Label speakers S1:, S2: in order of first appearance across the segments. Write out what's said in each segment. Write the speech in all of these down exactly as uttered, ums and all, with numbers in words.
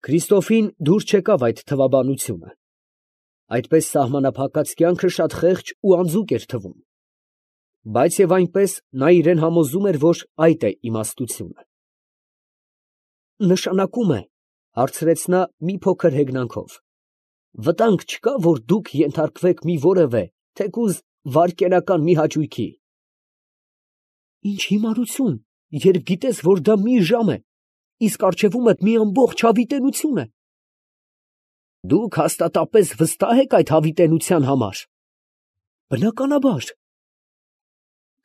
S1: Քրիստոֆին դուր չեկավ այդ թվաբանությունը. այդպես սահմանափակած կյանքը շատ խեղճ ու անձուկ էր թվում. բայց և այնպես նա իրան համոզում էր, որ այդ է իմաստությունը։ «Նշանակում է, ֊ հարցրեց նա մի փոքր հեգնանքով, ֊ վտանգ չկա, որ դուք ենթարկվեք մի որևէ, թեկուզ վարկենական մի հաճույքի։ ֊ Ի՞նչ հիմարություն, երբ գիտես, որ դա մի ժամ է, իսկ առջևումդ մի ամբողջ հավիտենություն է։ ֊ Դուք հաստատապես վստահ եք այդ հավիտենության համար։ ֊ Բնականաբար։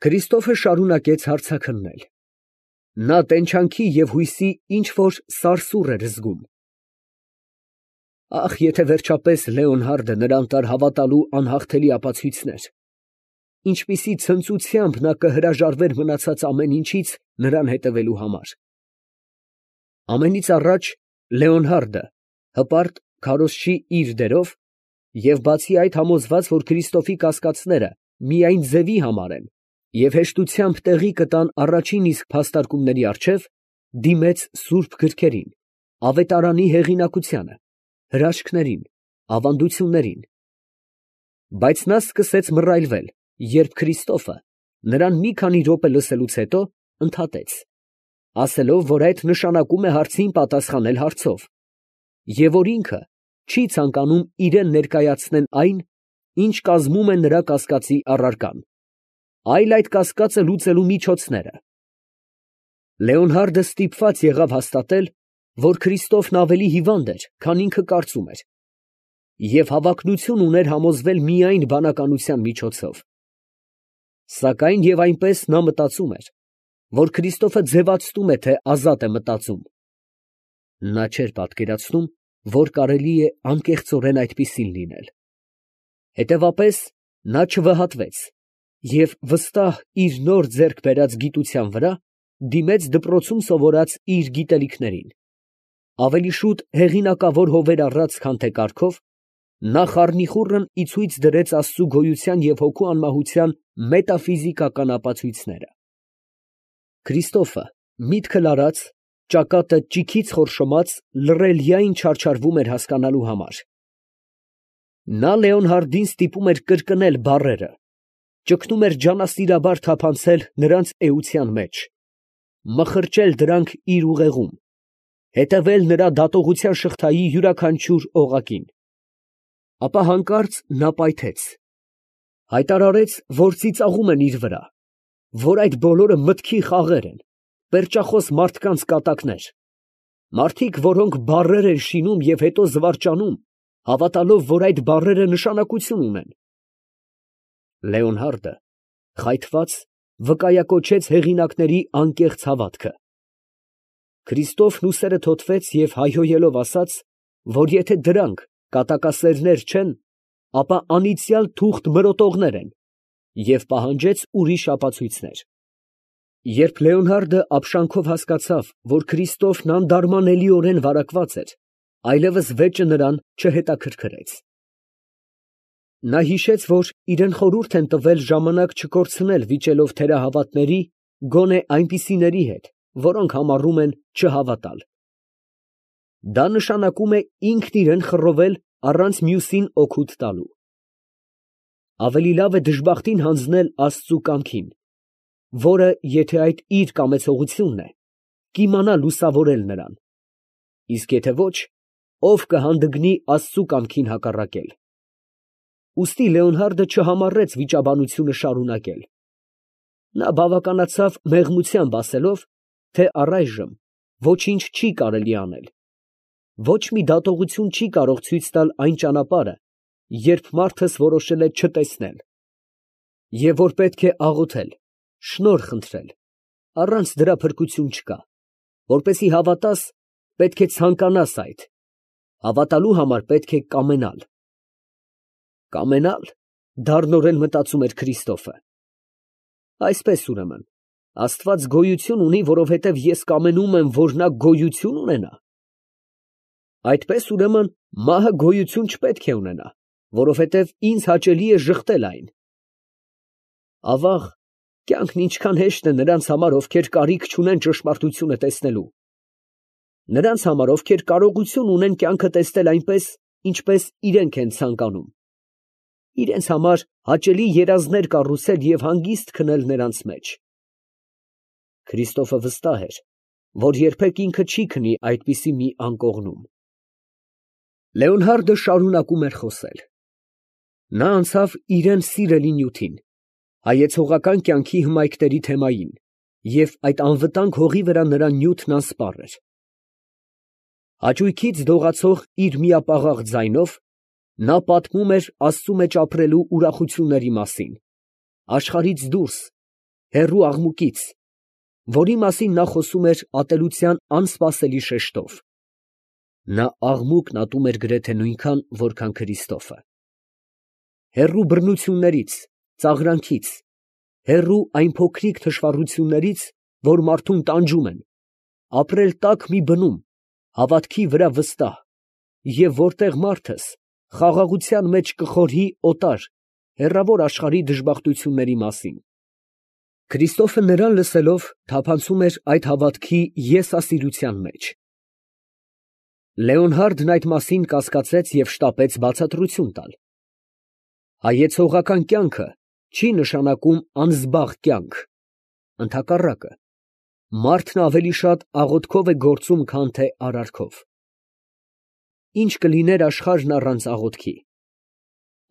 S1: Քրիստոֆը շարունակեց հարցաքննել. նա տենչանքի և հույսի ինչ որ սարսուռ էր զգում։ Ախ, եթե վերջապես Լեոնհարդը նրան տար հավատալու անհաղթելի ապացույցներ, ինչպիսի ցնծությամբ նա կհրաժարվեր մնացած ամեն ինչից նրան հետևելու համար։ Ամենից առաջ Լեոնհարդը հպարտ քարոզչի իր դերով, և բացի այդ համոզված, որ Քրիստոֆի կասկածները միայն ձևի համար են, և հեշտությամբ տեղի կտան առաջին իսկ փաստարկումների առջև, դիմեց սուրբ գրքերին, ավետարանի հեղինակությանը, հրաշքներին, ավանդություններին։ Բայց նա սկսեց մռայլվել, երբ Քրիստոֆը նրան մի քանի րոպե լսելուց հետո ընդհատեց, ասելով, որ այդ նշանակում է հարցին պատասխանել հարցով, և որ ինքը չի ցանկանում իրան ներկայացնեն այն, ինչ կազմում է նրա կասկածի առարկան, այլ այդ կասկածը լուծելու միջոցները։ Լեոնհարդը ստիպված եղավ հաստատել, որ Քրիստոֆն ավելի հիվանդ էր, քան ինքը կարծում էր, և հավակնություն ուներ համոզվել միայն բանականության միջոցով։ Սակայն և այնպես նա մտածում էր, որ Քրիստոֆը ձևացնում է, թե ազատ է մտածում. նա չէր պատկերացնում, որ կարելի է անկեղծորեն այդպիսին լինել։ Հետևապես նա չվհատվեց և վստահ իր նոր ձեռք բերած գիտության վրա դիմեց դպրոցում սովորած իր գիտելիքներին, ավելի շուտ հեղինակավոր հովեր առած, քան թե կարգով, նա խառնիխուռն ի ցույց դրեց Աստծու գոյության և հոգու անմահության մետաֆիզիկական ապացույցները։ Քրիստոֆը, միտքն արած, ճակատը ճիգից խորշոմած, լռելյային չարչարվում էր հասկանալու համար։ Նա Լեոնհարդին ստիպում էր կրկնել բառերը, ճգնում էր ջանասիրաբար թափանցել նրանց էության մեջ, մխրճել դրանք իր ուղեղում, հետևել նրա դատողության շղթայի յուրաքանչյուր օղակին։ Ապա հանկարծ նա պայթեց, հայտարարեց, որ ծիծաղում են իր վրա, որ այդ բոլորը մտքի խաղեր են, պերճախոս մարդկանց կատակներ, մարդիկ, որոնք բառեր են շինում և հետո զվարճանում, հավատալով, որ այդ բառերը նշանակություն ունեն։ Լեոնհարդը, խայթված, վկայակոչեց հեղինակների անկեղծ հավատքը։ Քրիստոֆն ուսերը թոթվեց և հայհոյելով ասաց, որ եթե դրանք կատակասերներ չեն, ապա անիծյալ թուղթ մրոտողներ են, և պահանջեց ուրիշ ապացույցներ։ Երբ Լեոնհարդը ապշանքով հասկացավ, որ Քրիստոֆն անդարմանելիորեն վարակված էր, այլևս վեճը նրան չհետաքրքրեց։ Նա հիշեց, որ իրան խորհուրդ են տվել ժամանակ չկորցնել վիճելով թերահավատների, գոնե այնպիսիների հետ, որոնք համառում են չհավատալ։ Դա նշանակում է ինքն իրան խռովել առանց մյուսին օգուտ տալու։ Ավելի լավ է դժբախտին հանձնել Աստծու կամքին, որը, եթե այդ իր կամեցողությունն է, կիմանա լուսավորել նրան, իսկ եթե ոչ, ով կհանդգնի Աստծու կամքին հակառակել։ Ուստի Լեոնհարդը չհամառեց վիճաբանությունը շարունակել։ Նա բավականացավ մեղմությամբ ասելով, թե առայժմ ոչինչ չի կարելի անել, ոչ մի դատողություն չի կարող ցույց տալ այն ճանապարհը, երբ մարդս որոշել է չտեսնել, և որ պետք է աղոթել, շնորհ խնդրել, առանց դրա փրկություն չկա, որպեսզի հավատաս, պետք է ցանկանաս այդ, հավատալու համար պետք է կամենալ։ Կամենալ, դառնորեն մտածում էր Քրիստոֆը։ Այսպես ուրեմն, Աստված գոյություն ունի, որովհետև ես կամենում եմ, որ նա գոյություն ունենա։ Այդպես ուրեմն, մահը գոյություն չպետք է ունենա, որովհետև ինձ հաճելի է ժխտել այն։ Ավաղ, կյանքն ինչքան հեշտ է նրանց համար, ովքեր կարիք չունեն ճշմարտությունը տեսնելու։ նրանց համար, ովքեր կարողություն ունեն կյանքը տեսնել այնպես, ինչպես իրենք են ցանկանում, իրենց համար հաճելի երազներ կառուցել և հանգիստ քնել նրանց մեջ։ Քրիստոֆը վստահ էր, որ երբեք ինքը չի քնի այդպիսի մի անկողնում։ Լեոնհարդը շարունակում էր խոսել. նա անցավ իրան սիրելի նյութին, հայեցողական կյանքի հմայքների թեմային, և այդ անվտանգ հողի վրա նրա նյութն անսպառ էր։ Հաճույքից դողացող իր միապաղաղ ձայնով նա պատմում էր Աստծու մեջ ապրելու ուրախությունների մասին, աշխարհից դուրս, հեռու աղմուկից, որի մասին նա խոսում էր ատելության անսպասելի շեշտով։ Նա աղմուկն ատում էր գրեթե նույնքան, որքան Քրիստոֆը։ Հեռու բռնություններից, ծաղրանքից, հեռու այն փոքրիկ թշվառություններից, որ մարդուն տանջում են, ապրել տաք մի բնում, հավատքի վրա վստահ, և որտեղ մարդս խաղաղության մեջ կխորհի օտար, հեռավոր աշխարհի դժբախտությունների մասին։ Քրիստոֆը նրան լսելով թափանցում էր այդ հավատքի եսասիրության մեջ։ Լեոնհարդն այդ մասին կասկածեց և շտապեց բացատրություն տալ։ Հայեցողական կյանքը չի նշանակում անզբաղ կյանք, ընդհակառակը, մարդն ավելի շատ աղոթքով է գործում, քան թե արարքով։ Ի՞նչ կլիներ աշխարհն առանց աղոթքի։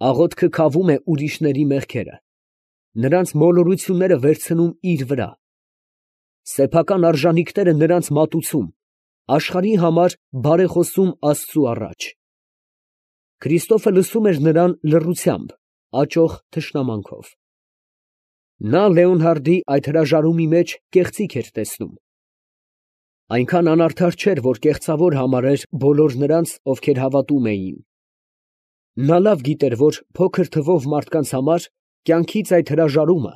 S1: Աղոթքը քավում է ուրիշների մեղքերը, նրանց մոլորությունները վերցնում իր վրա, սեփական արժանիքները նրանց մատուցում, աշխարհի համար բարեխոսում Աստծու առաջ։ Քրիստոֆը լսում էր նրան լռությամբ, աճող թշնամանքով։ Նա Լեոնհարդի այդ հրաժարումի մեջ կեղծիք էր տեսնում։ Այնքան անարդար չէր, որ կեղծավոր համարեր բոլոր նրանց, ովքեր հավատում էին։ Նա լավ գիտեր, որ փոքր թվով մարդկանց համար կյանքից այդ հրաժարումը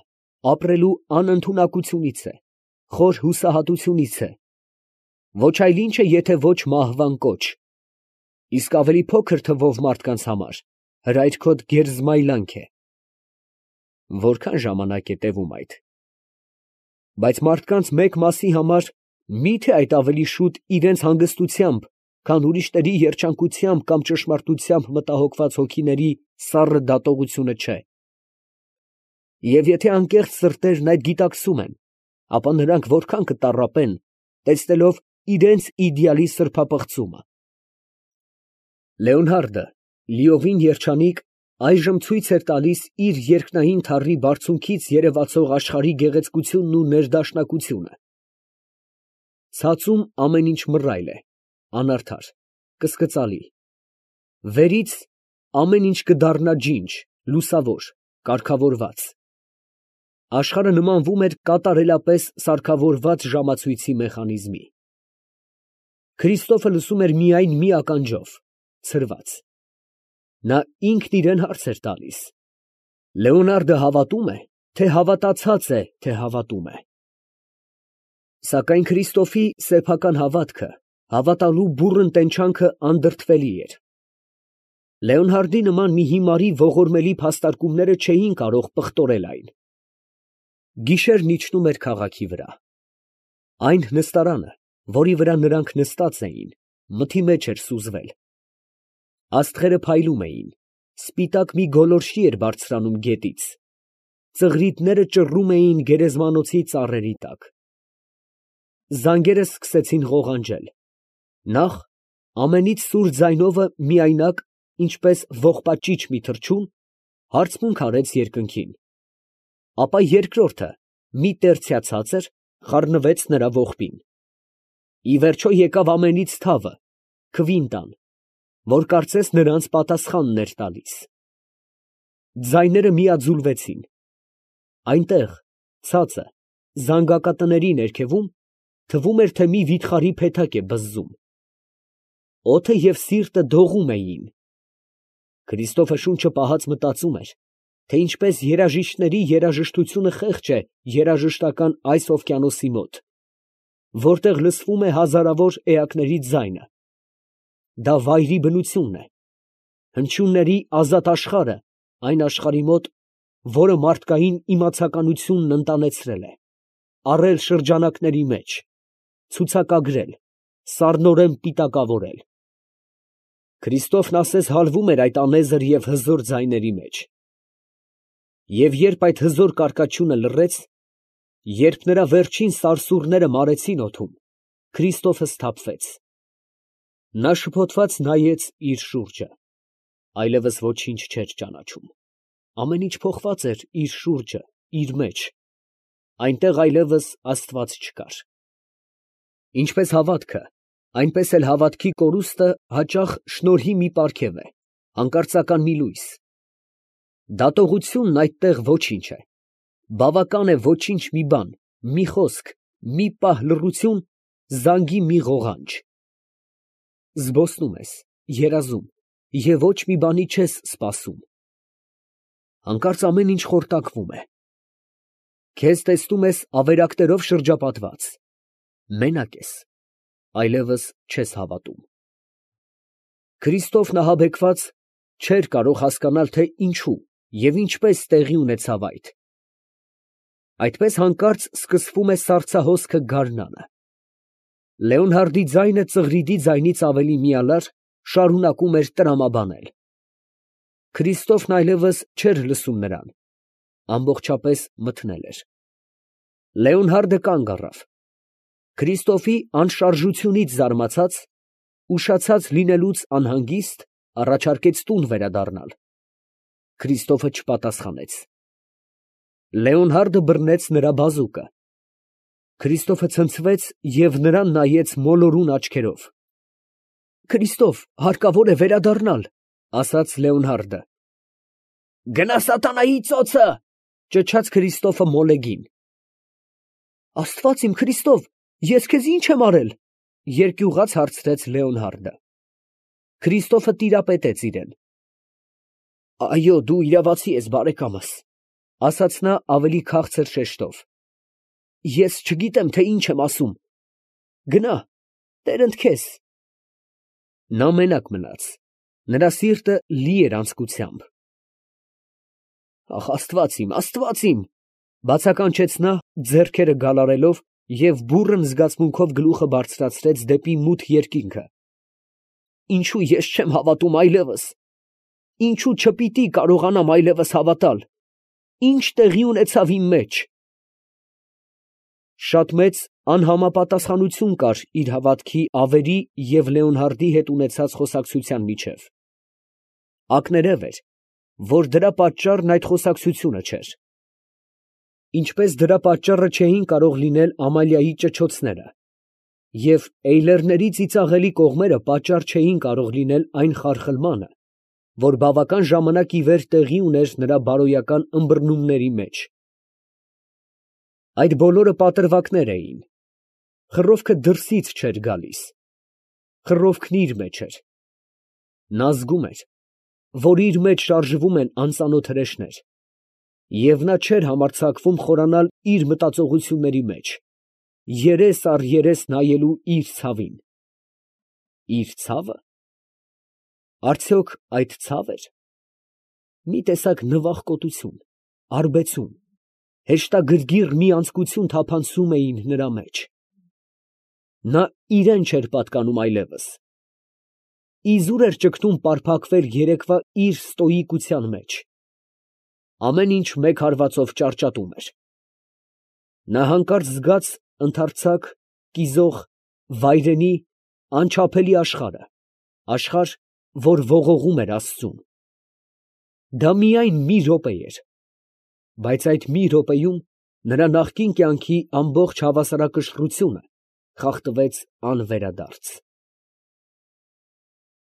S1: ապրելու անընդունակությունից է, խոր հուսահատությունից է, ոչ այլ ինչ է, եթե ոչ մահվան կոչ, իսկ ավելի փոքր թվով մարդկանց համար հրայրքոտ գերզմայլանք է։ Որքան ժամանակ է տևում այդ։ Բայց մարդկանց մեկ մասի համար մի՞թե այդ ավելի շուտ իրենց հանգստությամբ, քան ուրիշների երջանկությամբ կամ ճշմարտությամբ մտահոգված հոգիների սառը դատողությունը չէ։ Եվ եթե անկեղծ սրտերն այդ գիտակցում են, ապա նրանք որքան կտառապեն, տեսնելով իրենց իդեալի սրբապղծումը։ Լեոնհարդը, լիովին երջանիկ, այժմ ցույց էր տալիս իր երկնային թառի բարձունքից երևացող աշխարհի գեղեցկությունն ու ներդաշնակությունը։ Ցածում ամեն ինչ մռայլ է, անարդար, կսկծալի։ Վերից ամեն ինչ կդառնա ջինջ, լուսավոր, կարգավորված։ Աշխարհը նմանվում էր կատարելապես սարքավորված ժամացույցի մեխանիզմի։ Քրիստոֆը լսում էր միայն մի ականջով, ցրված։ Նա ինքն իրան հարց էր տալիս. Լեոնարդը հավատո՞ւմ է, թե հավատացած է, թե հավատում է։ Սակայն Քրիստոֆի սեփական հավատքը, հավատալու բուռն տենչանքը անդրդվելի էր։ Լեոնհարդի նման մի հիմարի ողորմելի փաստարկումները չէին կարող պղտորել այն։ Գիշերն իջնում էր քաղաքի վրա։ Այն նստարանը, որի վրա նրանք նստած էին, մթի մեջ էր սուզվել։ Աստղերը փայլում էին, սպիտակ մի գոլորշի էր բարձրանում գետից, ծղրիդները ճռռում էին գերեզմանոցի ծառերի տակ։ Զանգերը սկսեցին ղողանջել, նախ ամենից սուր ձայնովը միայնակ, ինչպես ողբաճիճ մի թռչուն, հարցմունք արեց երկնքին, ապա երկրորդը մի տերցյա ցածր խառնվեց նրա ողբին։ Ի վերջո եկավ ամենից թավը, քվինտան, որ կարծես նրանց պատասխանն էր տալիս։ Ձայները միաձուլվեցին։ Այնտեղ, ցածը, զանգակատների ներքևում, թվում էր, թե մի վիթխարի փեթակ է բզզում։ Օդը և սիրտը դողում էին։ Քրիստոֆը շունչը պահած մտածում էր, թե ինչպես երաժիշտների երաժշտությունը խեղճ է երաժշտական այս օվկիանոսի մոտ, որտեղ լսվում է հազարավոր էակների ձայնը։ Դա վայրի բնությունն է, հնչյունների ազատ աշխարհը այն աշխարհի մոտ, որը մարդկային իմացականությունն ընտանեցրել է, առել շրջանակների մեջ, ցուցակագրել, սառնորեն պիտակավորել։ Քրիստոֆն ասես հալվում էր այդ անեզր և հզոր ձայների մեջ։ Եվ երբ այդ հզոր կարկաչյունը լռեց, երբ նրա վերջին սարսուռները մարեցին օդում, Քրիստոֆը սթափվեց։ Նա շփոթված նայեց իր շուրջը, այլևս ոչինչ չէր ճանաչում։ Ամեն ինչ փոխված էր իր շուրջը, իր մեջ, այնտեղ այլևս Աստված չկար։ Ինչպես հավատքը, այնպես էլ հավատքի կորուստը հաճախ շնորհի մի պարգև է, հանկարծական մի լույս։ Դատողությունն այդտեղ ոչինչ է։ Բավական է ոչինչ մի բան, մի խոսք, մի պահ լռություն, զանգի մի ղողանջ։ Զբոսնում ես, երազում և ոչ մի բանի չես սպասում։ Հանկարծ ամեն ինչ խորտակվում է։ Քեզ տեսնում ես ավերակներով շրջապատված, մենակ ես, այլևս չես հավատում։ Քրիստոֆն ահաբեկված չէր կարող հասկանալ, թե ինչու և ինչպես տեղի ունեցավ այդ։ Այդպես հանկարծ սկսվում է սառցահոսքը գարնանը։ Լեոնհարդի ձայնը ծղրիդի ձայնից ավելի միալար շարունակում էր տրամաբանել։ Քրիստոֆն այլևս չէր լսում նրան, ամբողջապես մթնել էր։ Լեոնհարդը կանգ առավ։ Քրիստոֆի անշարժությունից զարմացած, ուշացած լինելուց անհանգիստ, առաջարկեց տուն վերադառնալ։ Քրիստոֆը չպատասխանեց։ Լեոնհարդը բռնեց նրա բազուկը։ Քրիստոֆը ցնցվեց և նրան նայեց մոլորուն աչքերով։ «Քրիստոֆ, հարկավոր է վերադառնալ», ֊ ասաց Լեոնհարդը։ «Գնա սատանայի ծոցը», ֊ ճչաց Քրիստոֆը մոլեգին։ «Աստված իմ, Քրիստոֆ, ես քեզ ի՞նչ եմ արել», ֊ երկյուղած հարցրեց Լեոնհարդը։ Քրիստոֆը տիրապետեց իրան։ «Այո, դու իրավացի ես, բարեկամս», ֊ ասաց նա ավելի քաղցր շեշտով։ «Ես չգիտեմ, թե ինչ եմ ասում։ Գնա, տերընդ քեզ»։ Նա մենակ մնաց, նրա սիրտը լի էր անձկությամբ։ «Ախ, Աստված իմ, Աստված իմ», ֊ բացականչեց նա, ձեռքերը գալարելով և բուռն զգացմունքով գլուխը բարձրացրեց դեպի մութ երկինքը։ «Ինչու ես չեմ հավատում այլևս։ Ինչու չպիտի կարողանամ այլևս հավատալ։ Ի՞նչ տեղի ունեցավ իմ մեջ»։ Շատ մեծ անհամապատասխանություն կար իր հավատքի ավերի և Լեոնհարդի հետ ունեցած խոսակցության միջև։ Ակներև էր, որ դրա պատճառն այդ խոսակցությունը չէր։ Ինչպես դրա պատճառը չէին կարող լինել Ամալիայի ճչոցները, և էյլերների ծիծաղելի կողմերը պատճառ չէին կարող լինել այն խարխլմանը, որ բավական ժամանակ ի վեր տեղի ուներ նրա բարոյական ըմբռնումների մեջ։ Այդ բոլորը պատրվակներ էին։ Խռովքը դրսից չէր գալիս, խռովքն իր մեջ էր։ Նա զգում էր, որ իր մեջ շարժվում են անծանոթ հրեշներ, և նա չէր համարձակվում խորանալ իր մտածողությունների մեջ, երես առ երես նայելու իր ցավին։ Իր ցավը։ Արդյոք այդ ցավ էր։ Մի տեսակ նվախկոտություն, արբեցում, հեշտագրգիռ մի անձկություն թափանցում էին նրա մեջ։ Նա իրան չէր պատկանում այլևս։ Իզուր էր ճգնում պարփակվել երեկվա իր ստոյիկության մեջ։ Ամեն ինչ մեկ հարվածով ճարճատում էր։ Նա հանկարծ զգաց ընդարձակ, կիզող, վայրենի, անչափելի աշխարհը, աշխարհ, որ ողողում էր աստծուն։ Դա միայն մի րոպե էր, բայց այդ մի րոպեում նրա նախկին կյանքի ամբողջ հավասարակշռությունը խախտվեց անվերադարձ։